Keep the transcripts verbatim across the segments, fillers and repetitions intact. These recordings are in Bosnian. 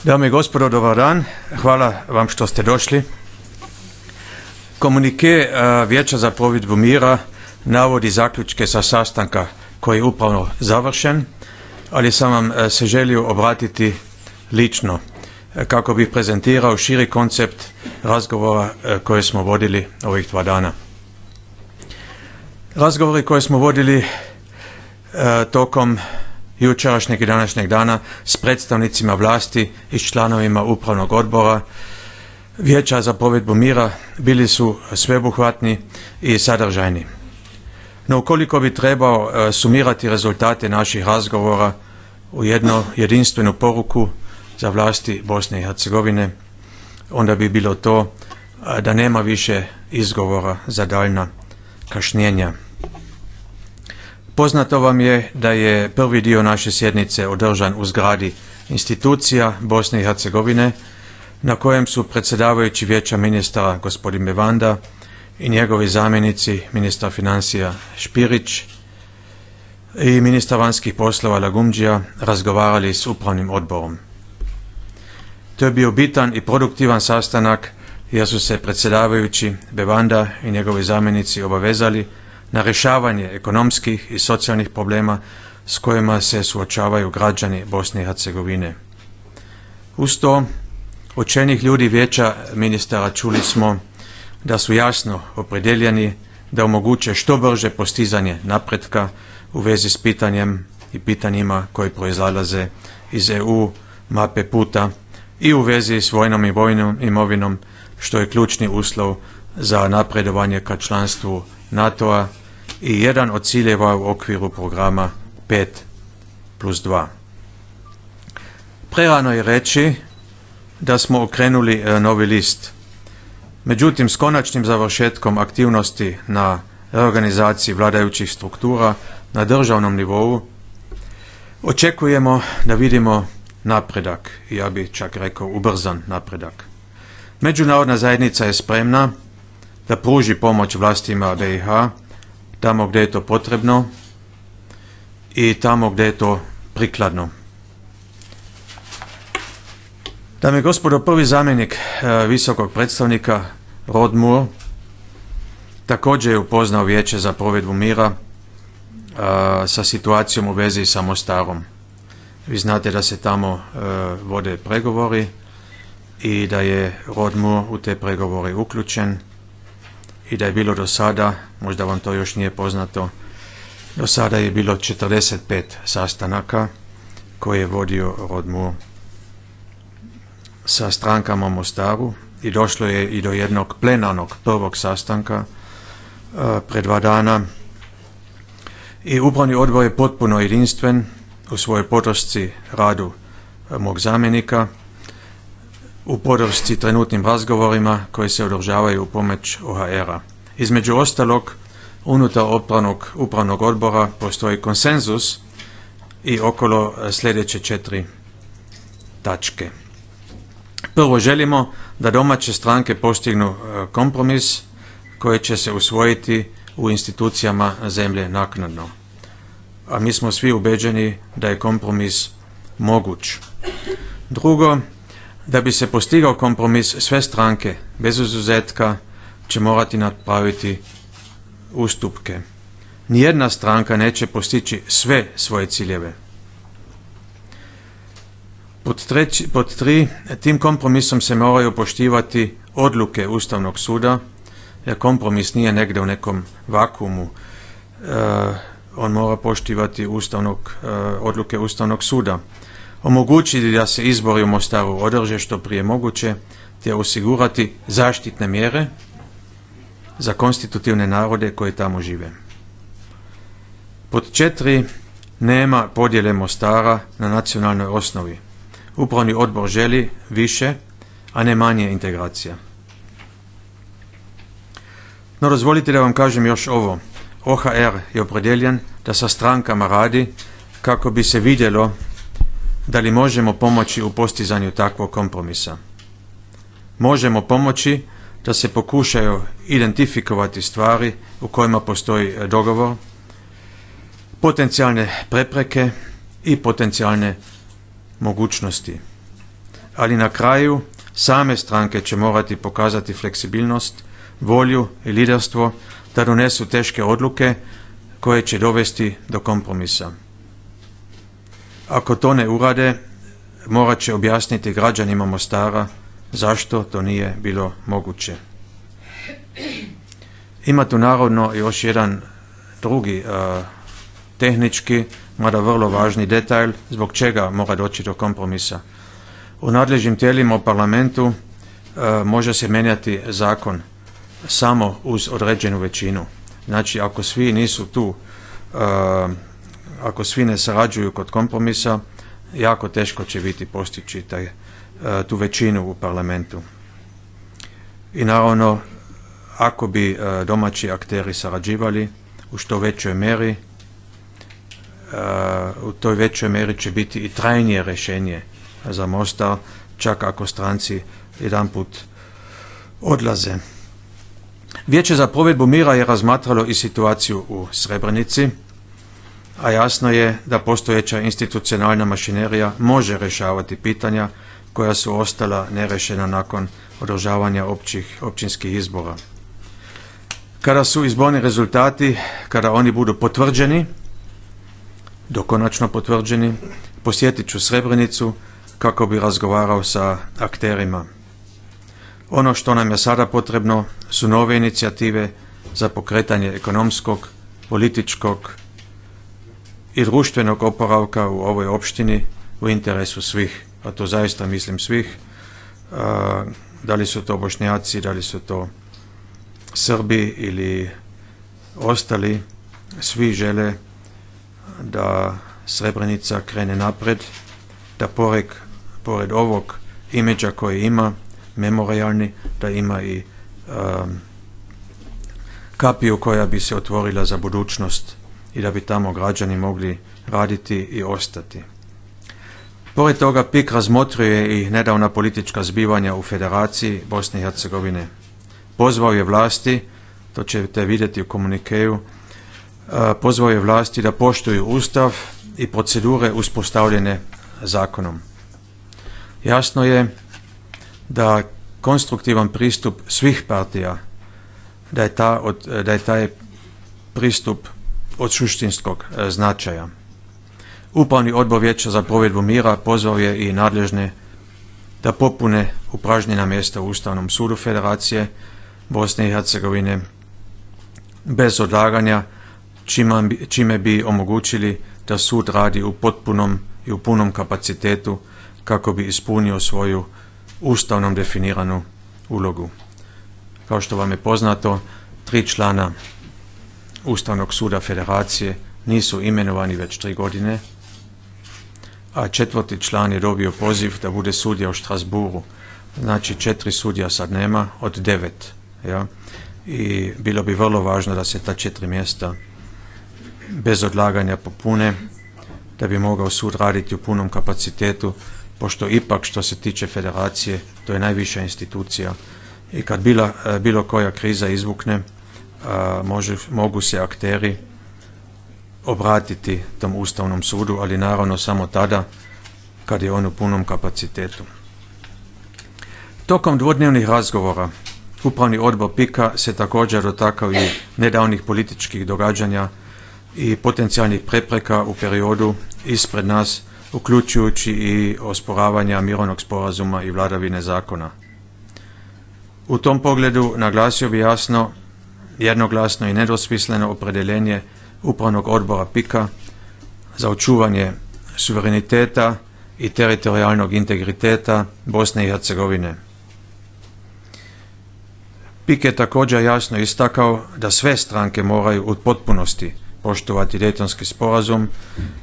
Dame i gospodo, dobar dan. Hvala vam što ste došli. Komunike Vijeća za provedbu mira navodi zaključke sa sastanka koji je upravo završen, ali sam vam se želio obratiti lično kako bih prezentirao širi koncept razgovora koje smo vodili ovih dva dana. Razgovori koje smo vodili tokom jučerašnjeg i današnjeg dana s predstavnicima vlasti i s članovima upravnog odbora Vijeća za provedbu mira bili su sveobuhvatni i sadržajni. No ukoliko bi trebao sumirati rezultate naših razgovora u jednu jedinstvenu poruku za vlasti Bosne i Hercegovine, onda bi bilo to da nema više izgovora za daljna kašnjenja. Poznato vam je da je prvi dio naše sjednice održan u zgradi institucija Bosne i Hercegovine, na kojem su predsjedavajući Vijeća ministara gospodin Bevanda i njegovi zamjenici ministar financija Špirić i ministar vanjskih poslova Lagumdžija razgovarali s upravnim odborom. To je bio bitan i produktivan sastanak jer su se predsjedavajući Bevanda i njegovi zamjenici obavezali na rješavanje ekonomskih i socijalnih problema s kojima se suočavaju građani Bosne i Hercegovine. Uz to, od čelnih ljudi Vijeća ministara čuli smo da su jasno opredjeljeni da omoguće što brže postizanje napretka u vezi s pitanjem i pitanjima koji proizlaze iz E U mape puta i u vezi s vojnom i vojnom imovinom, što je ključni uslov za napredovanje ka članstvu NATO-a i jedan od ciljeva u okviru programa pet plus dva. Prerano je reći da smo okrenuli novi list. Međutim, s konačnim završetkom aktivnosti na reorganizaciji vladajućih struktura na državnom nivou očekujemo da vidimo napredak, i ja bih čak rekao ubrzan napredak. Međunarodna zajednica je spremna da pruži pomoć vlastima B i H tamo gdje je to potrebno i tamo gdje je to prikladno. Dame i gospodo, prvi zamjenik e, visokog predstavnika Rod Moore također je upoznao Vijeće za provedbu mira e, sa situacijom u vezi sa Mostarom. Vi znate da se tamo e, vode pregovori i da je Rod Moore u te pregovore uključen i da je bilo do sada, možda vam to još nije poznato, do sada je bilo četrdeset pet sastanaka koje je vodio Rod Moore sa strankama u Mostaru i došlo je i do jednog plenarnog prvog sastanka uh, pred dva dana i upravni odbor je potpuno jedinstven u svojoj podršci radu uh, mog zamjenika, u podršci trenutnim razgovorima koji se održavaju u pomoć O H R-a. Između ostalog, unutar upravnog, upravnog odbora postoji konsenzus i okolo uh, sljedeće četiri tačke. Prvo, želimo da domaće stranke postignu kompromis koji će se usvojiti u institucijama zemlje naknadno. A mi smo svi ubeđeni da je kompromis moguć. Drugo, da bi se postigao kompromis, sve stranke bez izuzetka će morati napraviti ustupke. Nijedna stranka neće postići sve svoje ciljeve. Pod, treći, pod tri, tim kompromisom se moraju poštivati odluke Ustavnog suda, jer kompromis nije negdje u nekom vakuumu. E, on mora poštivati ustavnog, e, odluke Ustavnog suda. Omogućiti da se izbori u Mostaru održe što prije moguće, te osigurati zaštitne mjere za konstitutivne narode koji tamo žive. Pod četiri, nema podjele Mostara na nacionalnoj osnovi. Upravni odbor želi više, a ne manje integracija. No, dozvolite da vam kažem još ovo. O H R je opredjeljen da sa strankama radi kako bi se vidjelo da li možemo pomoći u postizanju takvog kompromisa. Možemo pomoći da se pokušaju identifikovati stvari u kojima postoji dogovor, potencijalne prepreke i potencijalne mogućnosti. ali na kraju same stranke će morati pokazati fleksibilnost, volju i liderstvo da donesu teške odluke koje će dovesti do kompromisa. Ako to ne urade, morat će objasniti građanima Mostara zašto to nije bilo moguće. Ima tu naravno još jedan drugi uh, tehnički, mada vrlo važni detalj zbog čega mora doći do kompromisa. U nadležnim tijelima u parlamentu uh, može se mijenjati zakon samo uz određenu većinu. Znači, ako svi nisu tu, uh, ako svi ne sarađuju kod kompromisa, jako teško će biti postići taj, uh, tu većinu u parlamentu. I naravno, ako bi uh, domaći akteri sarađivali u što većoj mjeri, uh, u toj većoj mjeri će biti i trajnije rješenje za Mostar, čak ako stranci jedanput odlaze. Vijeće za provedbu mira je razmatralo i situaciju u Srebrenici, a jasno je da postojeća institucionalna mašinerija može rješavati pitanja koja su ostala nerešena nakon održavanja općih, općinskih izbora. Kada su izborni rezultati, kada oni budu potvrđeni, dokonačno potvrđeni, posjetit ću Srebrenicu kako bi razgovarao sa akterima. Ono što nam je sada potrebno su nove inicijative za pokretanje ekonomskog, političkog i društvenog oporavka u ovoj opštini u interesu svih, a to zaista mislim svih, a, da li su to Bošnjaci, da li su to Srbi ili ostali, svi žele da Srebrenica krene napred, da pored, pored ovog imidža koji ima, memorialni, da ima i um, kapiju koja bi se otvorila za budućnost i da bi tamo građani mogli raditi i ostati. Pored toga P I K razmotrio i nedavna politička zbivanja u Federaciji Bosne i Hercegovine. Pozvao je vlasti, to ćete vidjeti u komunikeju, pozvao je vlasti da poštuju Ustav i procedure uspostavljene zakonom. Jasno je da konstruktivan pristup svih partija, da je, ta od, da je taj pristup od suštinskog značaja. Upravni odbor Vijeća za provedbu mira pozvao je i nadležne da popune upražnjena mjesta u Ustavnom sudu Federacije Bosne i Hercegovine bez odlaganja, čime, čime bi omogućili da sud radi u potpunom i u punom kapacitetu kako bi ispunio svoju ustavnom definiranu ulogu. Kao što vam je poznato, tri člana Ustavnog suda Federacije nisu imenovani već tri godine, a četvrti član je dobio poziv da bude sudija u Štrasburu. Znači četiri sudija sad nema od devet. Ja? I bilo bi vrlo važno da se ta četiri mjesta bez odlaganja popune, da bi mogao sud raditi u punom kapacitetu, pošto ipak što se tiče federacije, to je najviša institucija i kad bila, bilo koja kriza izvukne, a, može, mogu se akteri obratiti tom Ustavnom sudu, ali naravno samo tada kad je on u punom kapacitetu. Tokom dvodnevnih razgovora Upravni odbor P I K-a se također dotakao i nedavnih političkih događanja i potencijalnih prepreka u periodu ispred nas, uključujući i osporavanja mirovnog sporazuma i vladavine zakona. U tom pogledu naglasio bi jasno, jednoglasno i nedvosmisleno opredjeljenje Upravnog odbora P I K-a za očuvanje suvereniteta i teritorijalnog integriteta Bosne i Hercegovine. P I K je također jasno istakao da sve stranke moraju u potpunosti poštovati Dejtonski sporazum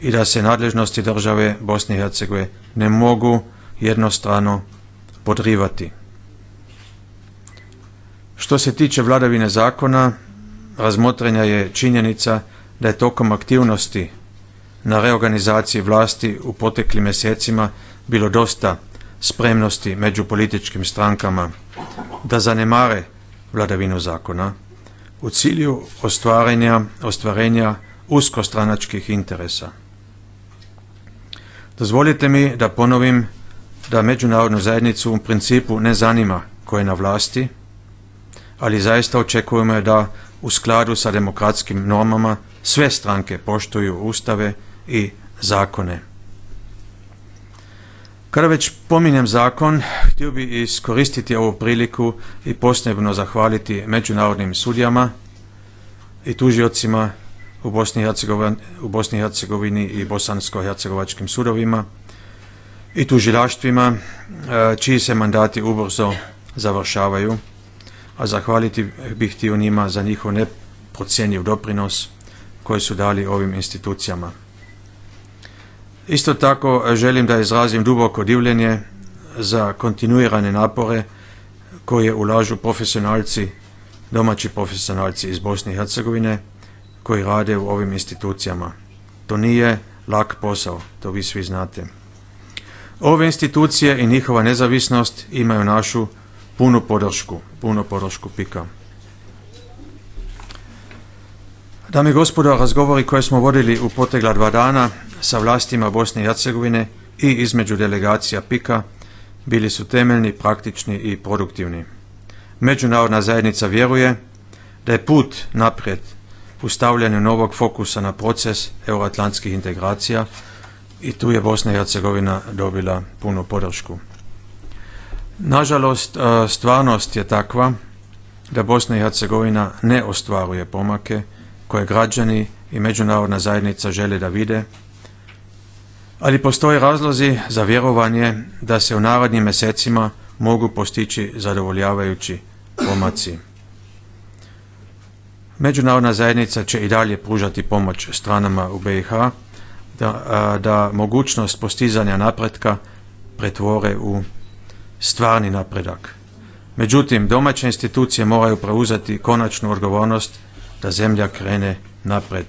i da se nadležnosti države Bosne i Hercegovine ne mogu jednostrano podrivati. Što se tiče vladavine zakona, razmotrenja je činjenica da je tokom aktivnosti na reorganizaciji vlasti u proteklim mjesecima bilo dosta spremnosti među političkim strankama da zanemare vladavinu zakona u cilju ostvarenja, ostvarenja uskostranačkih interesa. Dozvolite mi da ponovim da međunarodnu zajednicu u principu ne zanima ko je na vlasti, ali zaista očekujemo da u skladu sa demokratskim normama sve stranke poštuju ustave i zakone. Kada već pominjem zakon, htio bih iskoristiti ovu priliku i posebno zahvaliti međunarodnim sudijama i tužiocima u Bosni i Hercegovini, u Bosni i Hercegovini i bosansko-hercegovačkim sudovima i tužilaštvima, čiji se mandati ubrzo završavaju, a zahvaliti bih htio njima za njihov neprocjenjiv doprinos koji su dali ovim institucijama. Isto tako želim da izrazim duboko divljenje za kontinuirane napore koje ulažu profesionalci, domaći profesionalci iz Bosne i Hercegovine koji rade u ovim institucijama. To nije lak posao, to vi svi znate. Ove institucije i njihova nezavisnost imaju našu punu podršku, punu podršku pika. Dame i gospodo, razgovori koje smo vodili u protekla dva dana sa vlastima Bosne i Hercegovine i između delegacija pika bili su temeljni, praktični i produktivni. Međunarodna zajednica vjeruje da je put naprijed u stavljanju novog fokusa na proces euroatlantskih integracija i tu je Bosna i Hercegovina dobila punu podršku. Nažalost, stvarnost je takva da Bosna i Hercegovina ne ostvaruje pomake koje građani i međunarodna zajednica žele da vide, ali postoje razlozi za vjerovanje da se u narednim mjesecima mogu postići zadovoljavajući pomaci. Međunarodna zajednica će i dalje pružati pomoć stranama u B i H da, da mogućnost postizanja napretka pretvore u stvarni napredak. Međutim, domaće institucije moraju preuzeti konačnu odgovornost da zemlja krene napred.